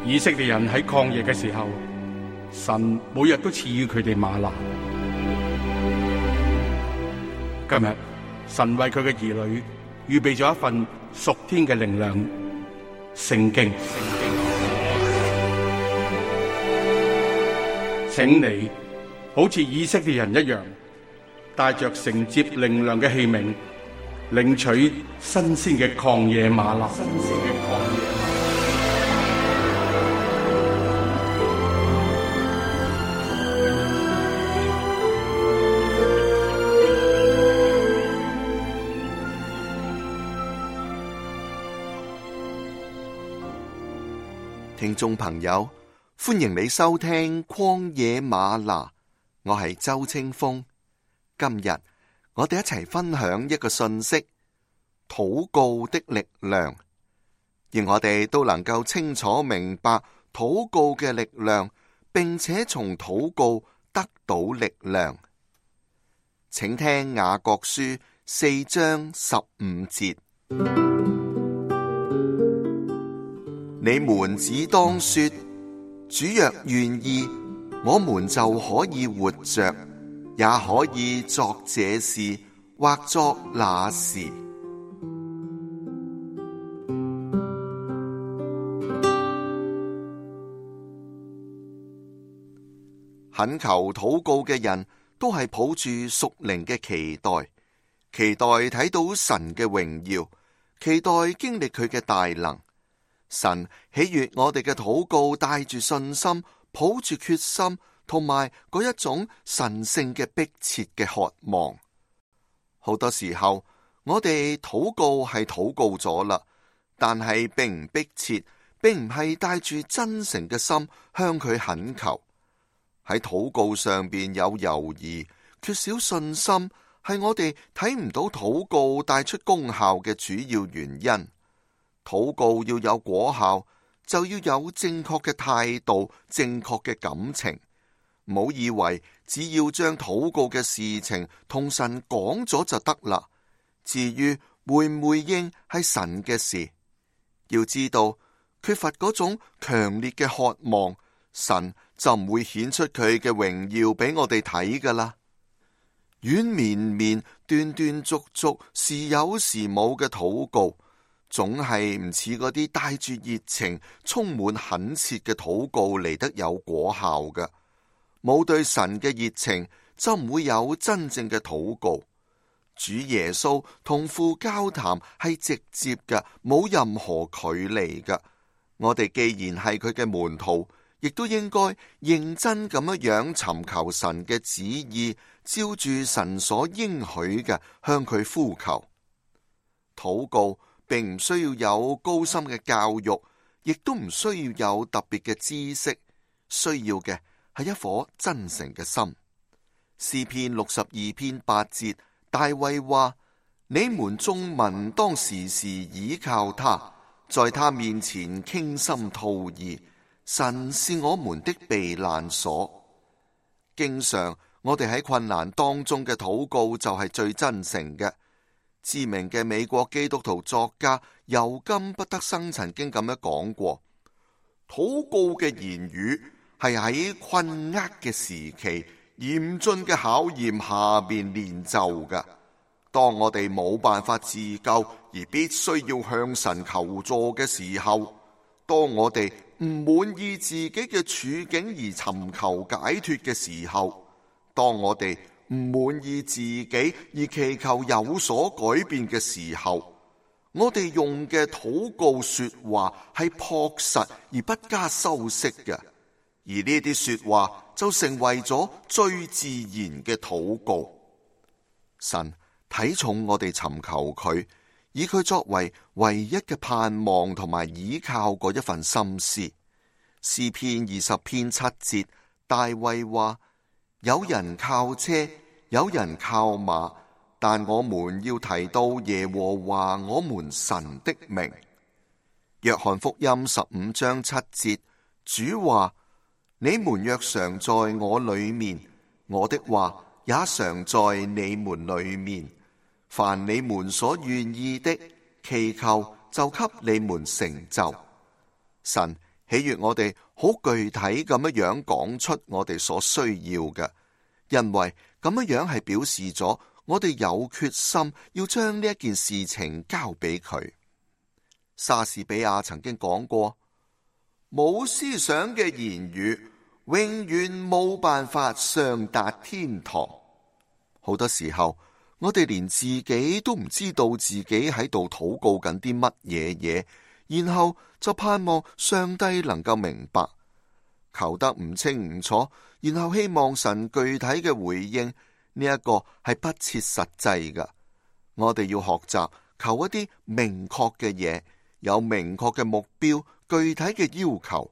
以色列人喺曠野嘅時候，神每日都賜予佢哋嗎哪。今日神為佢嘅兒女預備咗一份屬天嘅靈糧——聖經。請你好似以色列人一樣，帶着承接靈糧嘅器皿，領取新鮮嘅曠野嗎哪。聽眾朋友，歡迎你收聽曠野嗎哪，我係周清風。今日我哋一齊分享一個信息：禱告的力量，而我哋都能夠清楚明白禱告嘅力量，並且從禱告得到力量。請聽雅各書4章15節。你們只當說，主若願意，我們就可以活着，也可以作這事或作那事。懇求禱告嘅人都係抱住屬靈嘅期待，期待睇到神嘅榮耀，期待經歷佢嘅大能。神喜悅我哋嘅禱告，帶住信心，抱住決心，同埋嗰一種神聖嘅迫切嘅渴望。好多時候，我哋禱告係禱告咗啦，但係並唔迫切，並唔係帶住真誠嘅心向佢懇求。喺禱告上邊有猶豫，缺少信心，係我哋睇唔到禱告帶出功效嘅主要原因。禱告要有果效，就要有正確嘅態度、正確嘅感情。唔好以為只要將禱告嘅事情同神講咗就得啦。至於回唔回應係神嘅事，要知道缺乏嗰種強烈嘅渴望，神就唔會顯出佢嘅榮耀俾我哋睇噶啦。軟綿綿、斷斷續續、時有時冇嘅禱告，總係唔似嗰啲帶住熱情、充滿懇切嘅禱告嚟得有果效嘅。冇對神嘅熱情，就唔會有真正嘅禱告。主耶穌同父交談係直接嘅，冇任何距離嘅。我哋既然係佢嘅門徒，亦都應該認真咁樣尋求神嘅旨意，照住神所應許嘅向佢呼求。禱告並唔需要有高深嘅教育，亦都唔需要有特別嘅知識，需要嘅係一顆真誠嘅心。詩篇62篇8節，大衛話：你們眾民當時時倚靠他，在他面前傾心吐意。神是我們的避難所。經常我哋喺困難當中嘅禱告就係最真誠嘅。知名嘅美國基督徒作家尤金不德生曾經咁樣講過：禱告嘅言語係喺困厄嘅時期、嚴峻嘅考驗下邊練就嘅。當我哋冇辦法自救而必須要向神求助嘅時候，當我哋唔滿意自己嘅處境而尋求解脫嘅時候，當我哋唔滿意自己而祈求有所改變嘅時候，我哋用嘅禱告說話係樸實而不加修飾嘅，而呢啲說話就成為咗最自然嘅禱告。神睇重我哋尋求佢，以佢作為唯一嘅盼望同埋倚靠嗰一份心思。詩篇20篇7節，大衛話：有人靠車，有人靠馬，但我們要提到耶和華我們神的名。約翰福音15章7節，主話：你們若常在我裏面，我的話也常在你們裏面。凡你們所願意的，祈求就給你們成就。神喜悅我哋好具體咁樣講出我哋所需要嘅，因為咁樣係表示咗我哋有決心要將呢一件事情交俾佢。莎士比亞曾經講過，冇思想嘅言語永遠冇辦法上達天堂。好多時候，我哋連自己都唔知道自己喺度禱告緊啲乜嘢嘢，然後就盼望上帝能夠明白，求得唔清唔楚，然後希望神具體嘅回應，呢一個係不切實際㗎。我哋要學習求一啲明確嘅嘢，有明確嘅目標，具體嘅要求。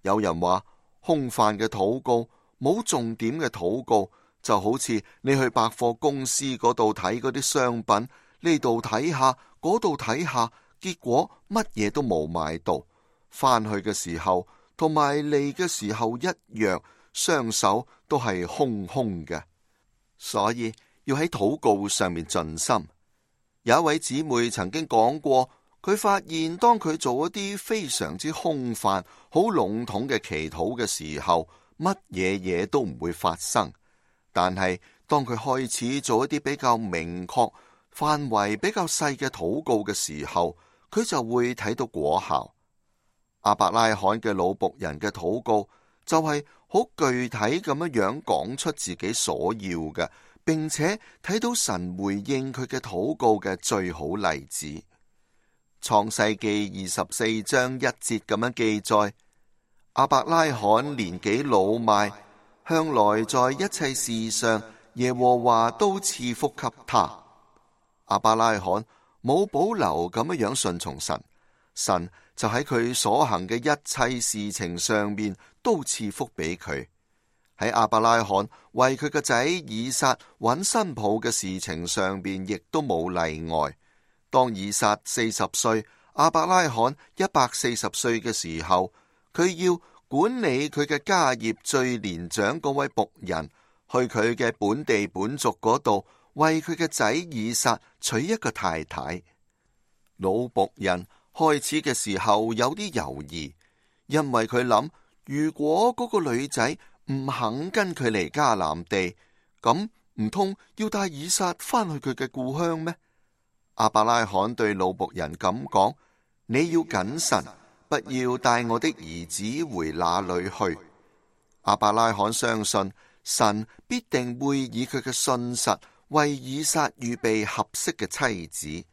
有人話空泛嘅禱告，冇重點嘅禱告，就好似你去百貨公司嗰度睇嗰啲商品，呢度睇下，嗰度睇下，結果乜嘢都冇買到，翻去嘅時候同埋嚟嘅時候一樣，雙手都係空空嘅。所以要喺禱告上面盡心。有一位姊妹曾經講過，佢發現當佢做一啲非常之空泛、好籠統嘅祈禱嘅時候，乜嘢嘢都唔會發生。但係當佢開始做一啲比較明確、範圍比較細嘅禱告嘅時候，佢就會睇到果效。亞伯拉罕嘅老僕人嘅禱告就係好具體咁樣講出自己所要嘅，並且睇到神回應佢嘅禱告嘅最好例子。創世記24章1節咁樣記載，亞伯拉罕年紀老邁，向來在一切事上耶和華都賜福給他。亞伯拉罕冇保留咁樣順從神，神就喺佢所行嘅一切事情上面都賜福俾佢。喺亞伯拉罕為佢個仔以撒揾新抱嘅事情上邊，亦都冇例外。當以撒40歲，亞伯拉罕140歲嘅時候，佢要管理佢嘅家業最年長嗰位僕人，去佢嘅本地本族嗰度，為佢嘅仔以撒娶一個太太。老僕人開始嘅時候有啲猶豫，因為佢諗，如果嗰個女仔唔肯跟佢嚟迦南地，咁唔通要帶以撒翻去佢嘅故鄉咩？亞伯拉罕對老僕人咁講：你要謹慎，不要帶我的兒子回那裏去。亞伯拉罕相信神必定會以佢嘅信實為以撒預備合適嘅妻子，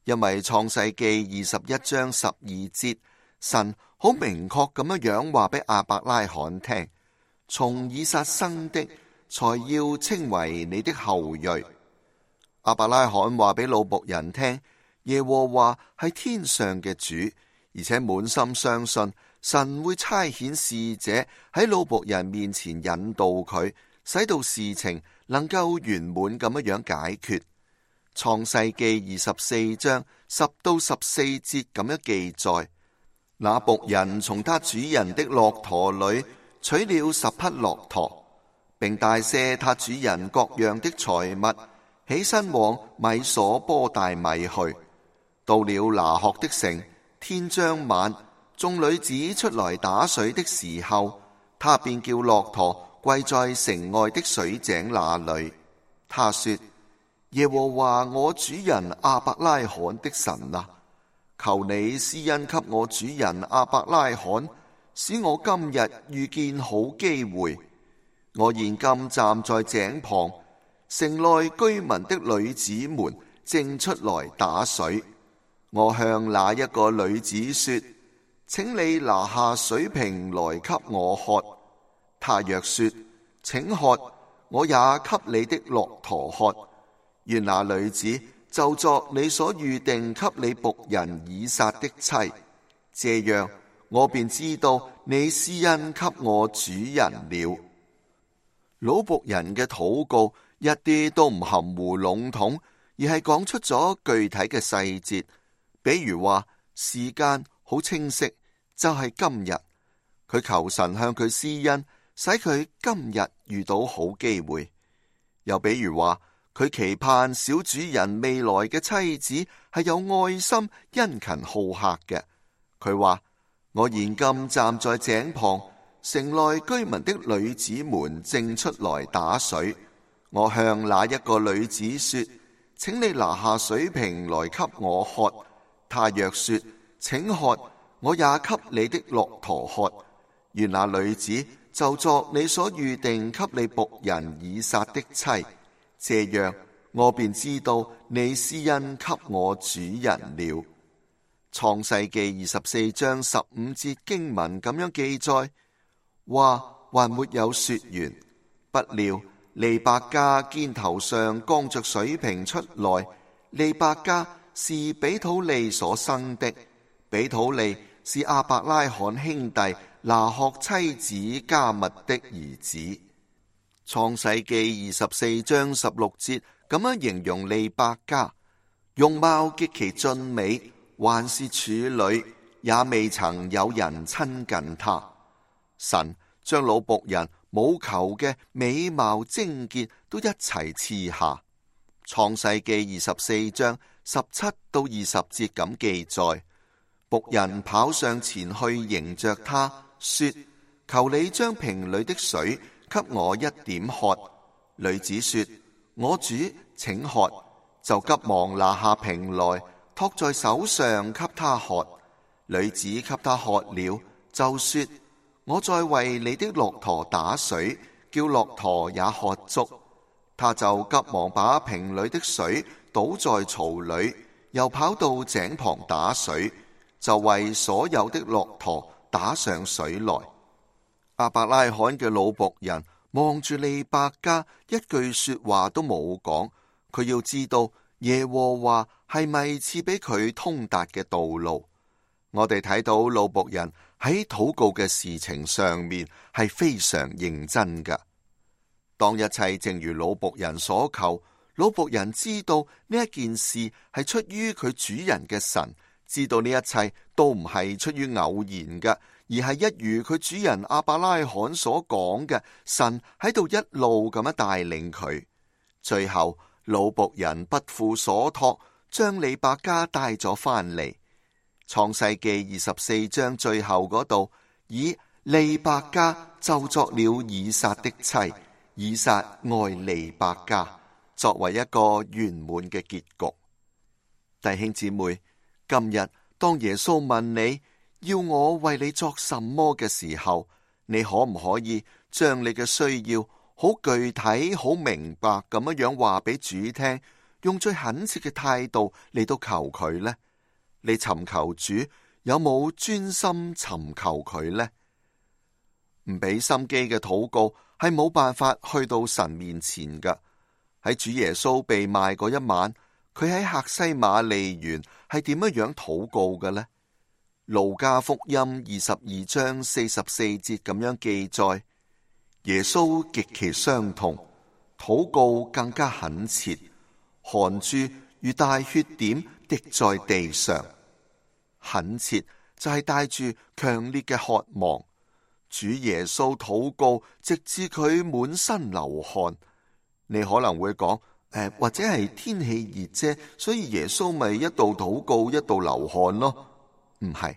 因為創世記21章12節，神好明確咁樣話俾亞伯拉罕聽，從以撒生的才要稱為你的後裔。亞伯拉罕話俾老僕人聽，耶和華係天上嘅主，而且滿心相信神會差遣使者喺老僕人面前引導佢，使到事情能夠圓滿咁樣解決。創世記24章10到14節咁樣記載，那僕人從他主人的駱駝裏取了10匹駱駝，並帶些他主人各樣的財物，起身往米所波大米去。到了拿鶴的城，天將晚，眾女子出來打水的時候，他便叫駱駝跪在城外的水井那裏。他說：耶和華我主人亞伯拉罕的神啊，求你施恩給我主人亞伯拉罕，使我今日遇見好機會。我現今站在井旁，城內居民的女子們正出來打水。我向那一個女子說：請你拿下水瓶來給我喝。她若說：請喝，我也給你的駱駝喝。願那女子就作你所預定給你僕人以撒的妻，這樣我便知道你施恩給我主人了。老僕人嘅禱告一啲都唔含糊籠統，而係講出咗具體嘅細節。比如話時間好清晰，就係今日。佢求神向佢施恩，使佢今日遇到好機會。又比如話，佢期盼小主人未來嘅妻子係有愛心、殷勤好客嘅。佢話：我現今站在井旁，城內居民的女子們正出來打水。我向那一個女子說：請你拿下水瓶來給我喝。她若說：請喝，我也給你的駱駝喝。願那女子就作你所預定給你僕人以撒的妻。這樣，我便知道你施恩給我主人了。創世記24章15節經文咁樣記載：話還沒有說完，不料利百加肩頭上扛着水瓶出來。利百加是比土利所生的，比土利是亞伯拉罕兄弟拿鶴妻子加密的兒子。創世記24章16節咁樣形容利百加：容貌極其俊美，還是處女，也未曾有人親近她。神將老僕人冇求嘅美貌貞潔都一齊賜下。創世記24章17到20節咁記載：僕人跑上前去迎着他，說：求你將瓶裏的水給我一點喝。女子說：我主，請喝。就急忙拿下瓶來，托在手上給他喝。女子給他喝了，就說：我再為你的駱駝打水，叫駱駝也喝足。他就急忙把瓶裏的水倒在槽裏，又跑到井旁打水，就為所有的駱駝打上水來。亞伯拉罕嘅老僕人望住利百加，一句說話都冇講。佢要知道耶和華係咪賜俾佢通達嘅道路。我哋睇到老僕人喺禱告嘅事情上面係非常認真㗎。當一切正如老僕人所求，老僕人知道呢一件事係出於佢主人嘅神，知道呢一切都唔係出於偶然嘅，而係一如佢主人亞伯拉罕所講嘅，神喺度一路咁樣帶領佢。最後老僕人不負所託，將利百加帶咗翻嚟。創世記24章最後嗰度，以利百加就作了以撒的妻，以撒愛利百加，作為一個圓滿嘅結局。弟兄姊妹，今日當耶穌問你要我為你作什麼嘅時候，你可唔可以將你嘅需要好具體、好明白咁樣話俾主聽，用最懇切嘅態度嚟到求佢呢？你尋求主有冇專心尋求佢呢？唔俾心機嘅禱告係冇辦法去到神面前噶。喺主耶穌被賣嗰一晚，佢喺客西馬利園係點樣禱告嘅呢？路加福音22章44節咁樣記載：耶穌極其傷痛，禱告更加懇切，汗珠如大血點滴在地上。懇切就係帶住強烈嘅渴望。主耶穌禱告，直至佢滿身流汗。你可能會講，或者係天氣熱啫，所以耶穌咪一度禱告一度流汗咯？唔係，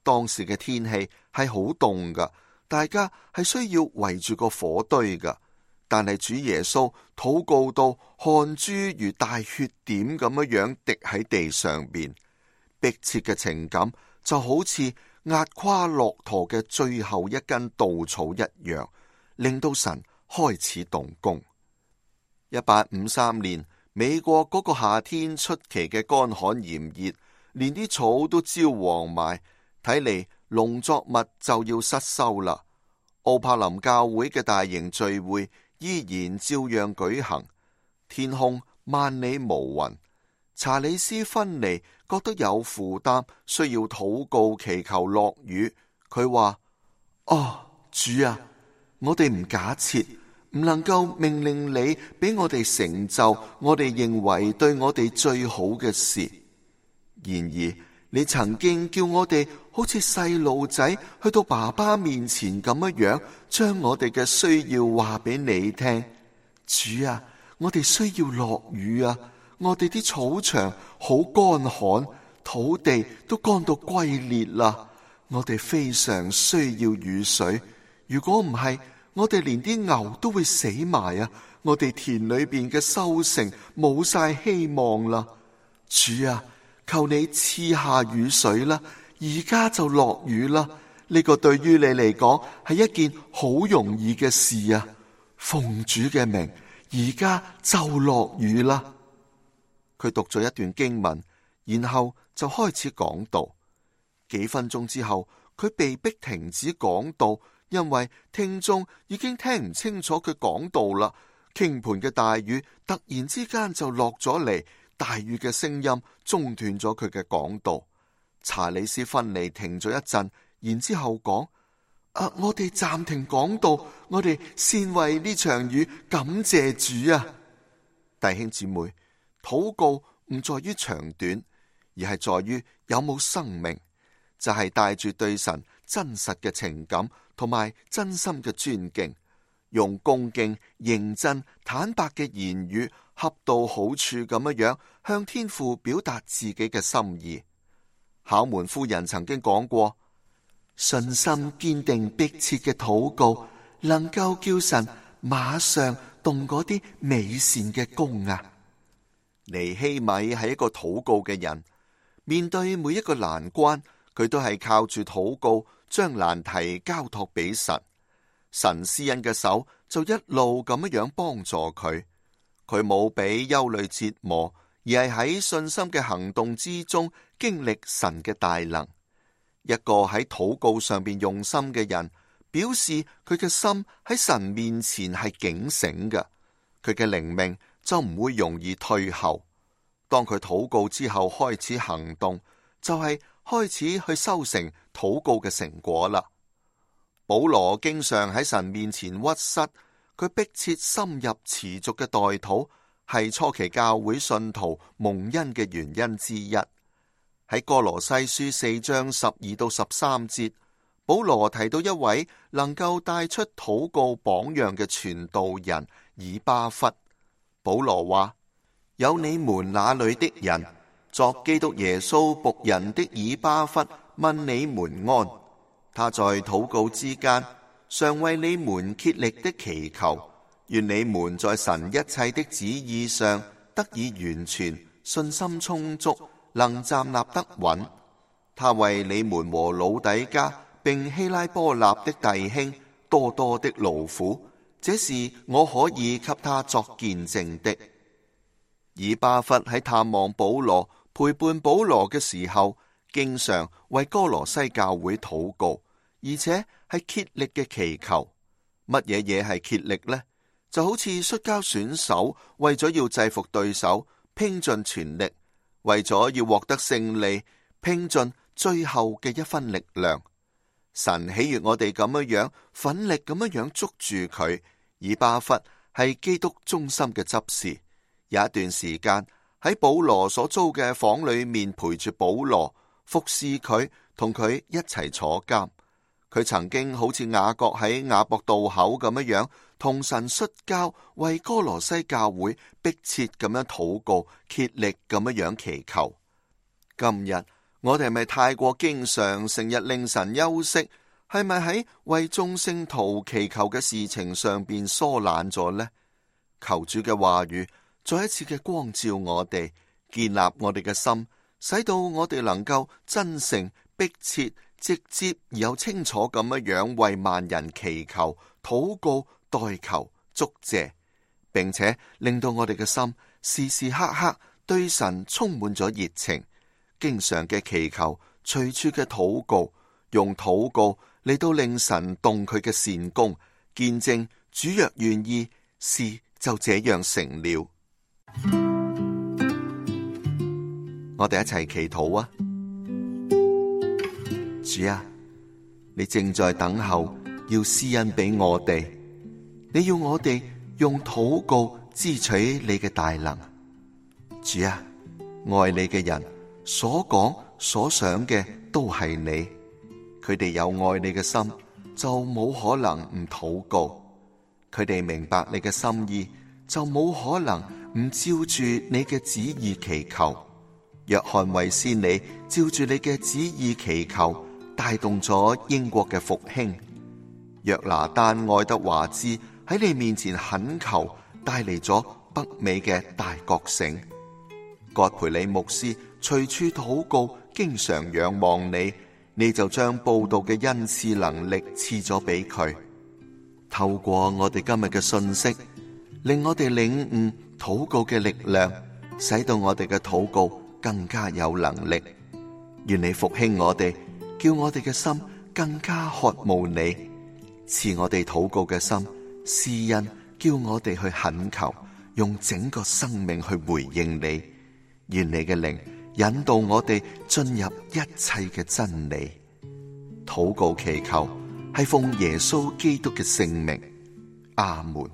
當時嘅天氣係好凍噶，大家係需要圍住個火堆噶。但係主耶穌禱告到汗珠如大血點咁樣滴喺地上邊，迫切嘅情感就好似壓垮駱駝嘅最後一根稻草一樣，令到神開始動工。1853年，美國嗰個夏天出奇嘅乾旱炎熱，連啲草都焦黃埋，睇嚟農作物就要失收啦。奧柏林教會嘅大型聚會依然照樣舉行，天空萬里無雲。查理斯芬尼覺得有負擔，需要禱告祈求落雨。佢話：主啊，我哋唔假設，唔能夠命令你俾我哋成就我哋認為對我哋最好嘅事。然而你曾經叫我哋好似細路仔去到爸爸面前咁樣，將我哋嘅需要話俾你聽。主啊，我哋需要落雨啊！我哋啲草場好乾旱，土地都乾到龜裂啦。我哋非常需要雨水，如果唔係，我哋連啲牛都會死埋啊！我哋田裏邊嘅收成冇晒希望啦。主啊，求你賜下雨水啦，而家就落雨啦。呢個對於你嚟講係一件好容易嘅事啊！奉主嘅名，而家就落雨啦。佢讀咗一段經文，然後就開始講道。幾分鐘之後，佢被迫停止講道，因為聽眾已經聽唔清楚佢講道啦。傾盆嘅大雨突然之間就落咗嚟，大雨嘅聲音中斷咗佢嘅講道。查理斯芬尼停咗一陣，然之後講：我哋暫停講道，我哋先為呢場雨感謝主啊！弟兄姊妹，禱告唔在於長短，而係在於有冇生命，就係帶住對神真實嘅情感同埋真心嘅尊敬，用恭敬、認真、坦白嘅言語，恰到好處咁樣向天父表達自己嘅心意。考門夫人曾經講過，信心堅定迫切嘅禱告，能夠叫神馬上動嗰啲美善嘅工啊！尼希米係一個禱告嘅人，面對每一個難關，佢都係靠住禱告將難題交託俾神，神施恩嘅手就一路咁樣幫助佢。佢冇俾憂慮折磨，而係喺信心嘅行動之中經歷神嘅大能。一個喺禱告上邊用心嘅人，表示佢嘅心喺神面前係警醒嘅，佢嘅靈命就唔會容易退後。當佢禱告之後開始行動，就係開始去收成禱告嘅成果啦。保羅經常喺神面前屈膝，佢迫切深入持續嘅代禱，係初期教會信徒蒙恩嘅原因之一。喺哥羅西書4章12到13節，保羅提到一位能夠帶出禱告榜樣嘅傳道人以巴弗。保羅話：有你們那裏的人作基督耶穌僕人的以巴弗問你們安，他在禱告之間常為你們竭力的祈求，願你們在神一切的旨意上得以完全，信心充足，能站立得穩。他為你們和老底嘉並希拉波納的弟兄多多的勞苦，這是我可以給他作見證的。以巴弗喺探望保羅、陪伴保羅嘅時候，經常為哥羅西教會禱告，而且係竭力嘅祈求。乜嘢係竭力呢？就好似摔跤選手為咗要制服對手，拼盡全力，為咗要獲得勝利，拼盡最後嘅一分力量。神喜悅我哋咁樣奮力咁樣捉住佢。以巴弗係基督忠心嘅執事，有一段時間喺保羅所租嘅房裏面陪住保羅，服侍佢，同佢一齊坐監。佢曾經好似雅各喺雅博渡口咁樣同神摔跤，為哥羅西教會迫切咁樣禱告，竭力咁樣祈求。今日我哋係咪太過經常成日令神休息？係咪喺為眾聖徒祈求嘅事情上邊疏懶咗呢？求主嘅話語再一次嘅光照我哋，建立我哋嘅心，使到我哋能夠真誠、迫切、直接而又清楚咁樣為萬人祈求、禱告、代求、祝謝，並且令到我哋嘅心時時刻刻對神充滿咗熱情，經常嘅祈求，隨處嘅禱告，用禱告嚟到令神動佢嘅善功，見證主若願意，事就這樣成了。我哋一齊祈禱啊！主啊，你正在等候要施恩俾我哋，你要我哋用禱告支取你嘅大能。主啊，愛你嘅人所講所想嘅都係你，佢哋有愛你嘅心，就冇可能唔禱告；佢哋明白你嘅心意，就冇可能唔照住你嘅旨意祈求。約翰衛斯理照住你嘅旨意祈求，帶動咗英國嘅復興。約拿單愛德華茲喺你面前懇求，帶嚟咗北美嘅大覺醒。葛培理牧師隨處禱告，經常仰望你，你就將佈道嘅恩賜能力賜咗俾佢。透過我哋今日嘅信息，令我哋領悟禱告嘅力量，使到我哋嘅禱告更加有能力。願你復興我哋，叫我哋嘅心更加渴慕你，賜我哋禱告嘅心，施恩叫我哋去懇求，用整個生命去回應你。願你嘅靈引導我哋進入一切嘅真理。禱告祈求係奉耶穌基督嘅聖名，阿門。